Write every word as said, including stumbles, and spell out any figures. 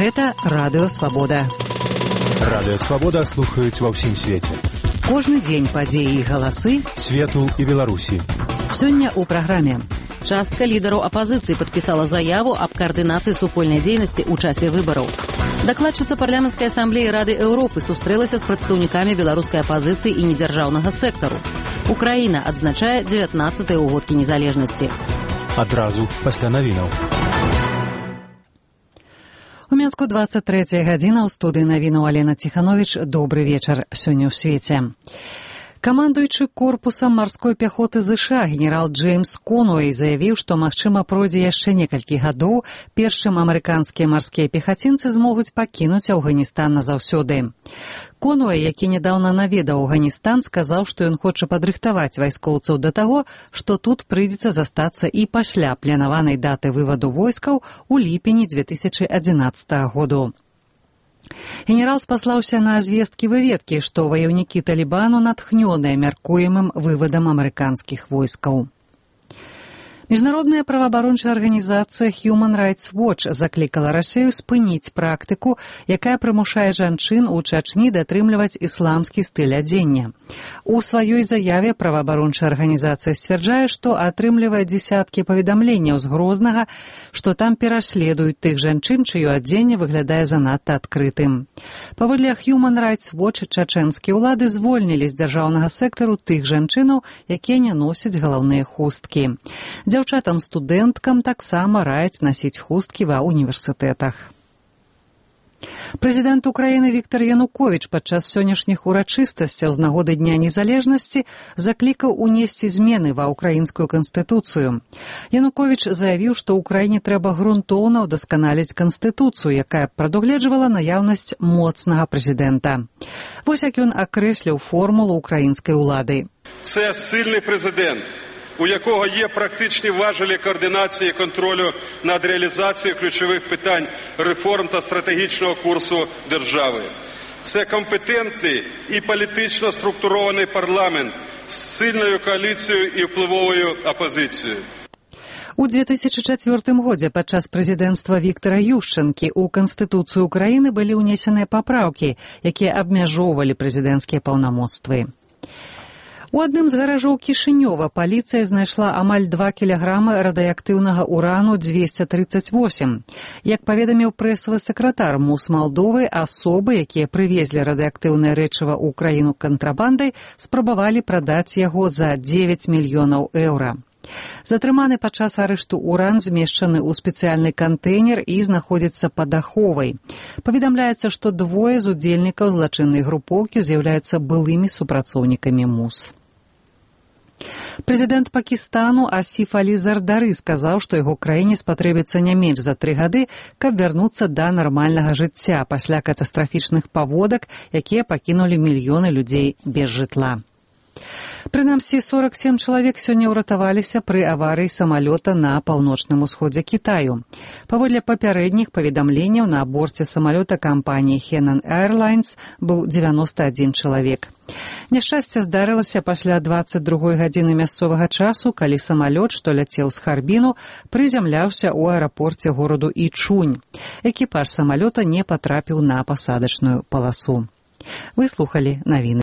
Гэта Радыё Свабода. Радыё Свабода слухаюць ва ўсім свеце. Кожны дзень падзеі і галасы свету і Беларусі. Сёння ў праграме. Частка лідараў апазіцыі падпісала заяву аб каардынацыі супольнай дзейнасці ў часе выбараў. Дакладчыца парламенцкай асамблеі Рады Еўропы сустрэлася з прадстаўнікамі беларускай апазіцыі і недзяржаўнага сектару. Украіна адзначае дзевятнаццатыя ўгодкі незалежнасці. Адразу пасля навінаў. У Мінску дваццаць трэцяя гадзіна, ў студыі навінаў Алена Ціхановіч. Добры вечар сёння ў свеце. Камандуючы корпусам марской пяхоты ЗША генерал Джеймс Конуэй заявіў, што, магчыма, пройдзе яшчэ некалькі гадоў, перш чым амерыканскія марскія пехацінцы змогуць пакінуць Афганістан назаўсёды. Конуэй, які нядаўна наведаў Афганістан, сказаў, што ён хоча падрыхтаваць вайскоўцаў да таго, што тут прыйдзецца застацца і пасля планаванай даты вываду войскаў у ліпені дзве тысячы адзінаццатага году. Генерал спаслаўся на звесткі выведкі, што ваяўнікі Талібану натхнёныя мяркуемым вывадам амерыканскіх войскаў. Міжнародная праваабарончая арганізацыя Human Rights Watch заклікала Расію спыніць практыку, якая прымушае жанчын у Чачні датрымліваць ісламскі стыль адзення. У сваёй заяве праваабарончая арганізацыя сцвярджае, што атрымлівае дзесяткі паведамленняў з Грознага, што там пераследуюць тых жанчын, чыё адзенне выглядае занадта адкрытым. Паводле Human Rights Watch, чачэнскія ўлады звольнілі з дзяржаўнага сектару тых жанчынаў, якія не носяць галаўныя хусткі. Дзяўчатам-студэнткам таксама раяць насіць хусткі ва ўніверсітэтах. Прэзідэнт Украіны Віктар Януковіч падчас сённяшніх урачыстасцяў з нагоды Дня незалежнасці заклікаў унесці змены ва ўкраінскую канстытуцыю. Януковіч заявіў, што ўкраіне трэба грунтоўна ўдасканаліць канстытуцыю, якая прадугледжвала наяўнасць моцнага прэзідэнта. Вось як ён акрэсліў формулу ўкраінскай улады. Це сильний президент, у якого є практичні важелі координації і контролю над реалізацією ключових питань реформ та стратегічного курсу держави. Це компетентний і політично структурований парламент з сильною коаліцією і впливовою опозицією. У две тысячы чацвёртым годзе падчас прэзідэнцтва Віктара Юшчэнкі ў Канстытуцыю Украіны былі ўнесеныя папраўкі, якія абмяжоўвалі прэзідэнцкія паўнамоцтвы. У адным з гаражоў Кішынёва паліцыя знайшла амаль два кілаграмы радыеактыўнага урану дзвесце трыццаць восем. Як паведаміў прэсавы сакратар МУС Малдовы, асобы, якія прывезлі радыеактыўнае рэчыва ў краіну кантрабандай, спрабавалі прадаць яго за дзевяць мільёнаў еўра. Затрыманы падчас арышту уран змешчаны ў спецыяльны кантэйнер і знаходзіцца пад аховай. Паведамляецца, што двое з удзельнікаў злачыннай групоўкі з'яўляюцца былымі супрацоўнікамі МУС. Прэзідэнт Пакістану Асіф Алі Зардары сказаў, што яго краіне спатрэбіцца не менш за тры гады, каб вярнуцца да нармальнага жыцця пасля катастрафічных паводак, якія пакінулі мільёны людзей без жытла. Прынамсі, сорак сем чалавек сёння ўратаваліся пры аварыі самалёта на паўночным усходзе Кітаю. Паводле папярэдніх паведамленняў, на борце самалёта кампаніі Henan Airlines быў дзевяноста адзін чалавек. Няшчасце здарылася пасля дваццаць другой гадзіны мясцовага часу, калі самалёт, што ляцеў з Харбіну, прызямляўся ў аэрапорце гораду Ічунь. Экіпаж самалёта не патрапіў на пасадачную паласу. Вы слухалі навіны.